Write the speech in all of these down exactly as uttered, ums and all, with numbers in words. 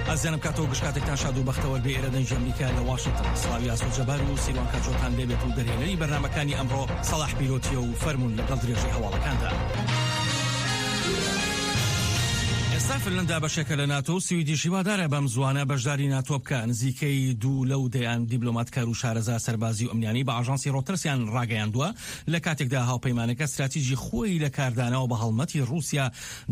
ئازیزانم کاتەوە گشت کاتێکتان شاد و بەختەوەر بێ. ئێرە دەنگی ئەمریکا لە واشنگتن. سڵاوی ئاسۆ جەبار و سیروان کاچۆتان لێبێت و دەرهێنەری بەرنامەکانی ئەمڕۆ سەڵاح پیرۆتیە و فەرمونون لەگەڵ درێژەی هەواڵەکاندا. ئێستا فنلندا بەشێکە لە ناتۆ و سویدیش هیوادارە بەم زوانە بەشداری ناتۆ بکە. نزیکەی دوو لەو دەیان دیبلۆماتکار و شارەزا سەربازی و ئەمنیانی بە ئاژانسی ڕۆتەرسیان ڕاگەیاندووە، لە کاتێکدا هاوپەیمانەکە استراتیژی خۆی لە کاردانەوە بە هەڵمەتی ڕووسیا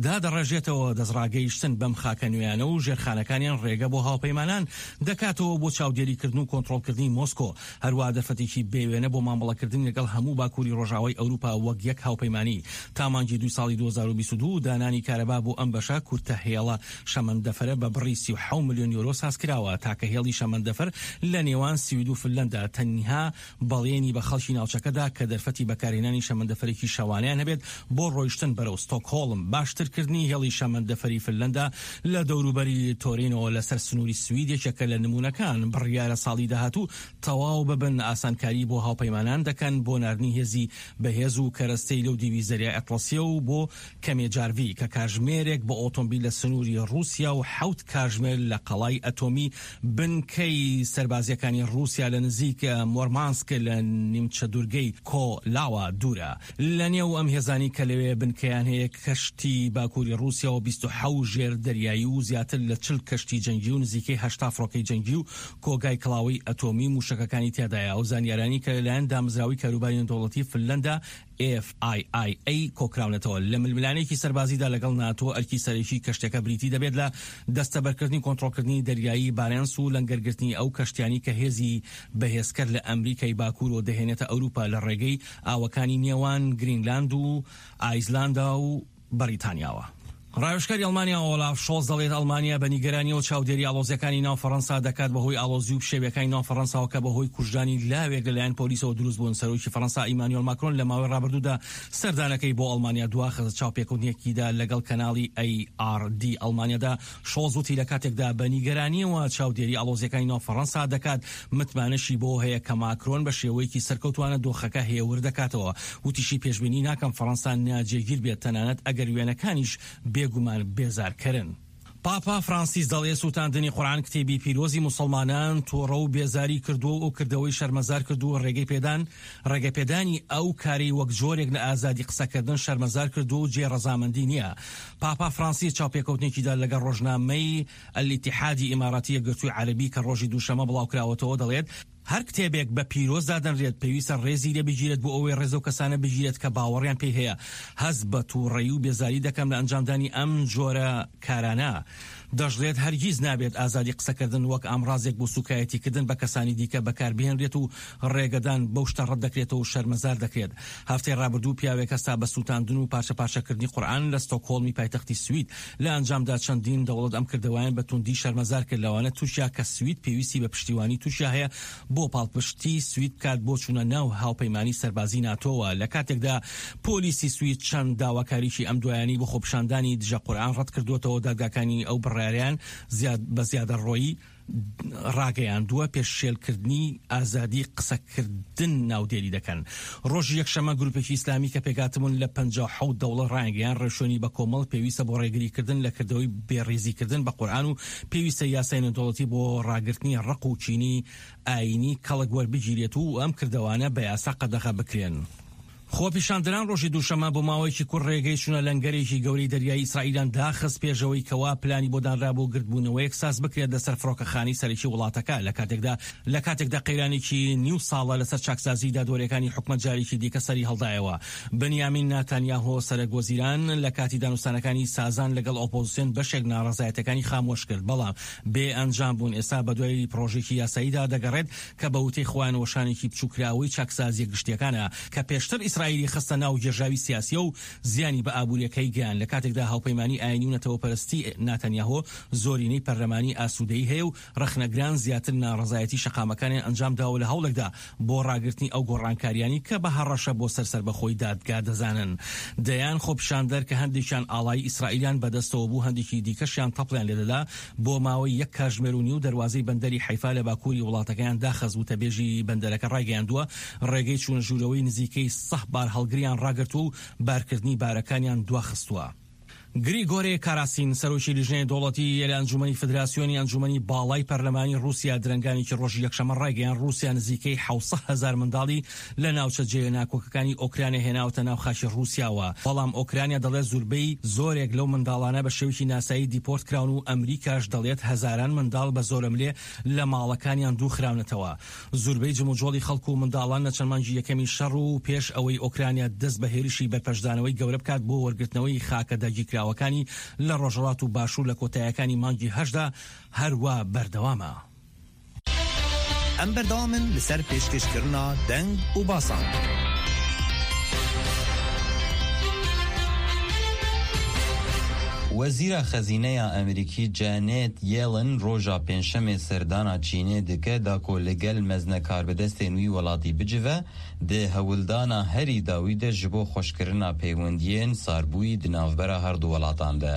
دادەڕێژێتەوە، دەستڕاگەیشتن بەم خاکە نوێیانە و ژێرخانەکانیان ڕێگە بۆ هاوپەیمانان دەکاتەوە بۆ چاودێریکردن و کۆنترۆڵکردنی مۆسکۆ، هەروە دەرفەتێکی بێوێنە بۆ مامەڵەکردن لەگەڵ هەموو باکووری ڕۆژاوای ئەوروپا وەک یەک هاوپەیمانی. تا مانگی دوو ساڵی دوو هەزار و بیست و دوو دانانی کارەبا بۆ ئەم بەشە کورتە هێڵە شەمەندەفەرە بە بڕی سی و حەوت ملیۆن یۆرۆ ساز کراوە. تاکە هێڵی شەمەندەفەر لە نێوان سوید و فنلندا تەنها بەڵێنی بە خەڵکی ناوچەکەدا کە دەرفەتی بەکارهێنانی شەمەندەفەرێکی شەوانەیان هەبێت بۆ ڕۆیشتن بەرەو ستۆکهۆڵم. باشترکردنی هێڵی شەمەندەفەری فنلندا لە دەوروبەری تۆرینەوە لەسەر سنووری سوید یەکێکە لە نمونەکان. بڕیارە ساڵی داهاتوو تەواو ببن. ئاسانکاری بۆ هاوپەیمانان دەکەن بۆ ناردنی هێزی بەهێز و کەرەستەی لەو دیوی زەریای ئەتڵەسیە و بۆ کەمێجارڤی کە کاژمێرێک بە ئۆتۆمبیل لە سنووری ڕووسیا و حەوت کاژمێر لە قەڵای ئەتۆمی بنکەی سەربازیەکانی ڕووسیا لە نزیک مۆرمانسک لە نیمچە دوورگەی کۆلاوە دوورە. لە نێو ئەم هێزانی کە لەوێ بنکەیان هەیە کەشتی باکووری ڕووسیا و بیست و حەوت ژێر دەریایی و زیاتر لە چل کەشتی جەنگی و نزیکەی هەشتا فڕۆکەی جەنگی و کۆگای کڵاوەی ئەتۆمی موشەکەکانی تیادایە. ئەو زانیارانی کە لەلایەن دامەزراوەی کاروباری نێودەوڵەتی فنلندا ئێف ئای ئای ئەی کۆکراونەتەوە. لە ململانێکی سەربازیدا لەگەڵ ناتۆ ئەرکی سەرەکی کەشتەکە بریتی دەبێت لە دەستەبەرکردنی کۆنترۆڵکردنی دەریایی بارێنس و لەنگەرگرتنی ئەو کەشتیانی کە هێزی بەهێزکەر لە ئەمریکای باکوورەوە دەهێنێتە ئەوروپا لە ڕێگەی ئاوەکانی نێوان گرینلاند و ئایسلاندا و بەریتانیاوە. ڕاوێژکاری ئەڵمانیا ئۆلاف شۆڵز دەڵێت ئەڵمانیا بە نیگەرانیەوە چاودێری ئاڵۆزیەکانی ناو فەڕەنسا دەکات بەهۆی ئاڵۆزی و پشێویەکانی ناو فەڕەنساوە کە بەهۆی کوژرانی لاوێک لەلایەن پۆلیسەوە دروست بوون. سەرۆکی فەڕەنسا ئیمانوێل ماکرۆن لە ماوەی ڕابردوودا سەردانەکەی بۆ ئەڵمانیا دواخست. چاوپێکەوتنێکیدا لەگەڵ کەناڵی ئەی ئاڕ دی ئەڵمانیادا شۆڵز وتی لە کاتێکدا بە نیگەرانیەوە چاودێری ئاڵۆزیەکانی ناو فەڕەنسا دەکات، متمانەشی بۆ هەیە کە ماکرۆن بە شێوەیەکی سەرکەوتوانە دۆخەکە هێور دەکاتەوە. وتیشی پێشبینی ناکەم فەڕەنسا ناجێگیر بێت، تەنانەت ئەگەر وێنەکانیش بێگومان بێزارکەرن. پاپا فرانسیس دەڵێ سووتاندنی قورئان کتێبی پیرۆزی موسڵمانان تووڕە و بێزاری کردووە و ئەو کردەوەی شەرمەزار کردووە، ڕێگەی پێدان ڕێگەپێدانی ئەو کاری وەک جۆرێک لە ئازادی قسەکردن شەرمەزار کردووە و جێ ڕەزامەندی نییە. پاپا فرانسیس چاوپێکەوتنێکیدا لەگەڵ ڕۆژنامەی ئەلیتیحادی ئیماراتی یەکگرتووی عەرەبی کە ڕۆژی دووشەممە بڵاوکراوەتەوە دەڵێت هەر کتێبێک بە پیرۆز دادەنرێت پێویستە ڕێزی لێ بگیرێت بۆ ئەوەی ڕێز و کەسانە بگیرێت کە باوەڕیان پێی هەیە. هەست بە تووڕەیی و بێزاری دەکەم لە ئەنجامدانی ئەم جۆرە کارانە. دەشڵێت هەرگیز نابێت ئازادی قسەکردن وەک ئامرازێک بۆ سوکایەتیکردن بە کەسانی دیکە بەکاربهێنرێت و ڕێگەدان بەو شتە ڕەت دەکرێتەوە و شەرمەزار دەکرێت. هەفتەی ڕابردوو پیاوێک هەستا بە سووتاندن و پارچە پارچەکردنی قورئان لە ستۆکهۆڵمی پایتەختی سوید. لە ئەنجامدا چەندین دەوڵەت ئەم کردەوەیان بە توندی شەرمەزار کرد، لەوانە تورکیا کە سوید پێویستی بە پشتیوانی تورکیا هەیە بۆ پاڵپشتی سوید بکات بۆ چوونە ناو هاوپەیمانی سەربازی ناتۆوە. لە کاتێکدا پۆلیسی سوید چەند داواکاریی ئەم دوایانەی بۆ خۆپیشاندانی دژە قورئان ڕەت کردووەتەوە، دادگاکانی ئەو بڕیاریان بە زیادەڕۆیی ڕاگەیاندووە پێشێلکردنی ئازادی قسەکردن ناودێری دەکەن. ڕۆژی یەکشەممە گروپێکی ئیسلامی کە پێکهاتبوون لە پەنجا و حەوت دەوڵەت ڕایانگەیاند ڕێوشوێنی بەکۆمەڵ پێویستە بۆ ڕێگریکردن لە کردەوەی بێڕێزیکردن بە قورئان و پێویستە یاسای نێودەوڵەتی بۆ ڕاگرتنی ڕق و کینی ئایینی کەڵک وەربگیرێت و ئەم کردەوانە بە یاسا قەدەغە بکرێن. خۆپیشاندەران ڕۆژی دووشەممە بۆ ماوەیەکی کورت ڕێگەی چوونە لەنگەرێکی گەورەی دەریایی ئیسرائیلیان داخست پێشەوەی کەوا پلانی بۆ دانرا بۆ گردبوونەوەیەک ساز بکرێت لەسەر فڕۆکەخانەی سەرەکی وڵاتەکە. لە کاتێکدا لە کاتێکدا قەیرانێکی نیو ساڵە لەسەر چاکسازی دادوەریەکانی حکومەت جارێکی دیکە سەری هەڵدایەوە. بنیامین ناتانیاهۆ سەرەک وەزیران لە کاتی دانوستانەکانی سازان لەگەڵ ئۆپۆزیسیۆن بەشێک ناڕەزایەتەکانی خامۆش کرد، بەڵام بێ ئەنجام بوون. ئێستا بەدوای پرۆژێکی یاساییدا دەگەڕێت کە بە وتەی خۆیان وەشانێکی بچووکراوەی چاکسازیە گشتیەکانە کە پێشتر ئیسرائیلی خستە ناو گێژاوی سیاسیە و زیانی بە ئابووریەکەی گەیان. لە کاتێکدا هاوپەیمانی ئایینی و نەتەوەپەرستی ناتەنیاهۆ زۆرینەی پەرلەمانی ئاسوودەیی هەیە و ڕەخنەگران زیاتر ناڕەزایەتی شەقامەکانیان ئەنجام داوە لە هەوڵێکدا بۆ ڕاگرتنی ئەو گۆڕانکاریانی کە بە هەڕەشە بۆ سەر سەربەخۆی دادگا دەزانن. دەیان خۆپیشاندەر کە هەندێکیان ئاڵای ئیسرائیلیان بەدەستەوە بوو، هەندێکی دیکەشیان تەپڵیان لێدەدا، بۆ ماوەی یەک کاژمێر و نیو دەروازەی بەندەری حەیفا لە باکووری وڵاتەکەیان داخست. وتەبێژی بەندەرەکە ڕایگەیاندووە ڕێگەی چوونە ژوورەوەی نزیکەی سەه بار هەڵگریان ڕاگرتووە و بارکردنی بارەکانیان دواخستووە. گریگۆری کاراسین، سەرۆکی لیژنەی دەوڵەتی لە ئەنجومەنی فدراسیۆنی ئەنجومەنی باڵای پەرلەمانی رووسیا، درەنگانێکی ڕۆژی یەکشەممە ڕایگەیان رووسیا نزیکەی حەوت هەزار منداڵی لە ناوچە جێ ناکۆکەکانی ئۆکرانیا هێناوەتە ناو خاکی رووسیاوە. بەڵام ئۆکرانیا دەڵێت زوربەی زۆرێک لەو منداڵانە بە شێوەیەکی ناسایی دیپۆرت کراون و ئەمریکاش دەڵێت هەزاران منداڵ بە زۆرەملێ لە ماڵەکانیان دوو خراونەتەوە. زوربەی جموجۆڵی خەڵک و منداڵان لە چەند مانگی یەکەمی شەڕ و پێش ئەوەی ئۆکرانیا دەست بە هێرشی بەرپەرچدانەوەی گەورە بکات بۆ وەرگرتنەوەی خاکە داگیرکراوەکانی لە ڕۆژهەڵات و باشوور لە کۆتایەکانی مانگی هەشدا هەروە بەردەوامە. ئەم بەردەوامن لەسەر پێشکەشکردنا دەنگ و باسان. وەزیرە خەزینەیە ئەمریکی جانێت یێلن ڕۆژا پێنجشەمێ سەردانا چینێ دکە داکۆ لەگەل مەزنە کاربەدەستێن وی وڵاتی بجوە دێ هەولدانا هەری داوی دە ji بۆ خۆشکردنا پەیوەندیên ساربووی di navbera her du welatan de.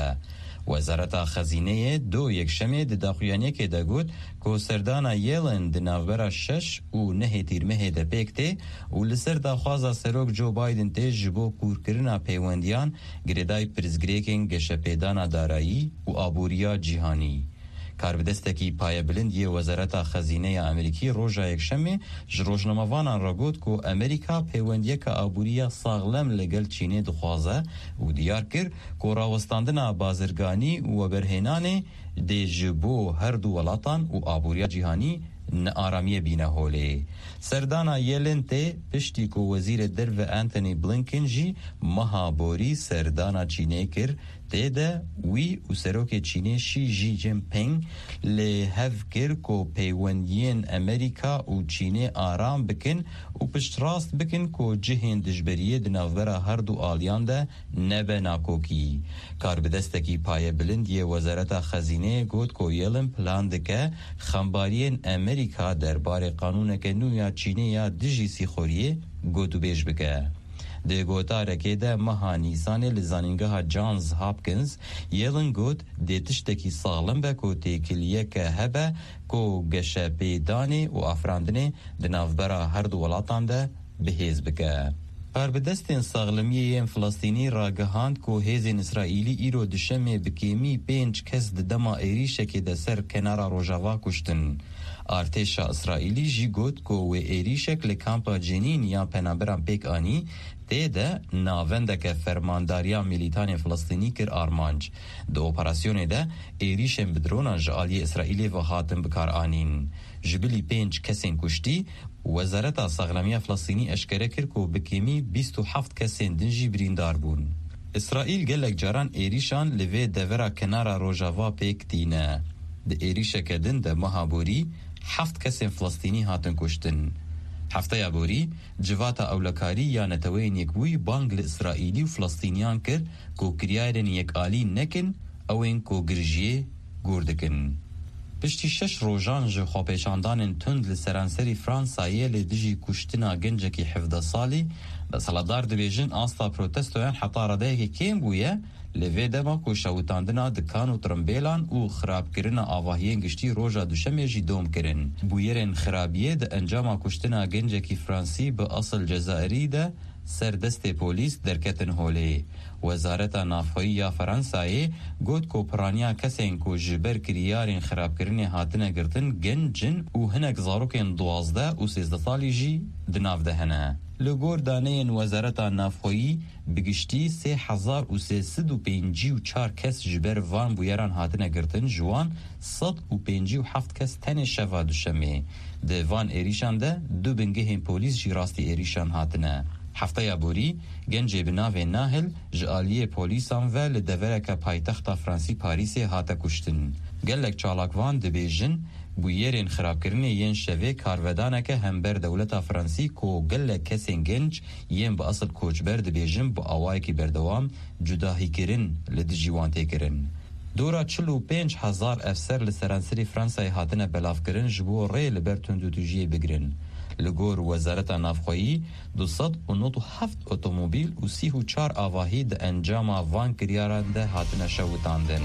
وەزارەتا خەزینەیە دۆ یەکشەمێ di daxuyaniyekê de got ku serdana Yellen di navbera şeş û nehê tîrmehê de pêk tê û li ser daxwaza Serok Joe Biden tê ji bo kûrkirina peywendiyan girêdayî pirsgirêkên geşepêdana darayî û aboriya cîhanî. Karbidestekî payebilind yê Wezareta Xezîneya Amerîkî roja yekşemê ji rojnamevanan re got ku Amerîka peywendiyeke aboriya saxlem li gel Çînê dixwaze û diyar kir ku rawestandina bazirganî û weberhênanê dê ji bo her du welatan û aboriya cîhanî nearamiyê bîne holê. Serdana Yellen tê piştî ku Wezîrê Derve Antony Blinken jî meha borî serdana Çînê kir tê de wî û serokê Çînê Xi Jinping li hev kir ku peywendiyên Amerîka û Çînê aram bikin û piştrast bikin ku cihên dijberiyê di navbera her du aliyan de nebe nakokî. Karbidestekî payebilind yê Wezareta Xezîneyê got ku Yellen plan dike xembariyên Amerîka derbarê qanûneke nû ya Çînê ya dijî sîxoriyê gotûbêj bike. Di gotarekê de meha Nîsanê li zanîngeha Johns Hopkins Yellen got dê tiştekî saxlem be ku têkiliyeke hebe ku geşepêdanê û afirandinê di navbera her du welatan de bihêz bike. Karbidestên saxlemiyê yên Filistînî ragihand ku hêzên Îsraîlî îro duşemê bi kêmî pênc kes di dema êrîşekê de ser kenara Rojava kuştin. Artêşa Îsraîlî jî got ku wê êrîşek li kampa Cenîn ya penaberan pêk anî tê de navendeke fermandariya milîtanên Filistînî kir armanc. Di operasyonê de êrîşên bi dronan ji aliyê Îsraîlê ve hatin bikaranîn. Ji bilî pênc kesên kuştî, Wezareta Saxlemiya Filistînî eşkere kir ku bi kêmî bîst û heft kesên din jî birîndar bûn. İsraîl gelek caran êrîşan li vê devera kenara Rojava pêk tîne. Di êrîşeke din de meha borî heft kesên Filistînî hatin kuştin. Hefteya borî civata ewlekarî ya Neteweyên Yekbûyî bang li Îsraîlî û Filistîniyan kir ku kiryarên yekalî nekin ewên ku girjiyê gûr dikin. Piştî şeş rojan ji xwepêşandanên tund li seranserî Fransayê li dijî kuştina gencekî hevdeh salî, desthilatdar dibêjin asta protestoyan heta radeyekê kêm bûye li vê dema ku şewitandina dikan û trimbêlan û xirabkirina avahiyên giştî roja duşemê jî dom kirin. Bûyerên xirabiyê di encama kuştina gencekî Fransî bi esil Cezayirî de ser destê polîs derketin holê. Wezareta Navxweyî ya Fransayê got ku piraniya kesên ku ji ber kiryarên xirabkirinê hatine girtin genc in û hinek zarokên duwazdeh û sêzdeh salî jî di nav de hene. Li gor daneyên Wezareta Navxweyî bi giştî sê hezar û sê sed û pêncî û çar kes ji ber van bûyeran hatine girtin, ji wan sed û pêncî û heft kes tenê şeva duşemê. Di van êrîşan de du bingehên polîs jî rastî êrîşan hatine. Hefteya borî gencê bi navê Nahil ji aliyê polîsan ve li devereke paytexta Fransî Parîsê hate kuştin. Gelek çalakvan dibêjin bûyerên xirabkirinê yên şevê karvedaneke hember dewleta Fransî ku gelek kesên genc yên bi esil koçber dibêjin bi awayekî berdewam cudahîkirin li dijî wan tê kirin. Dora çil û pênc hezar efser li seranserî Fransayê hatine belavkirin ji bo rê li ber tundûtûjiyê bigirin. Li gor Wezareta Navxweyî du sed û nod û heft otomobîl û sî û çar avahî di encama van kiryaran de hatine şewitandin.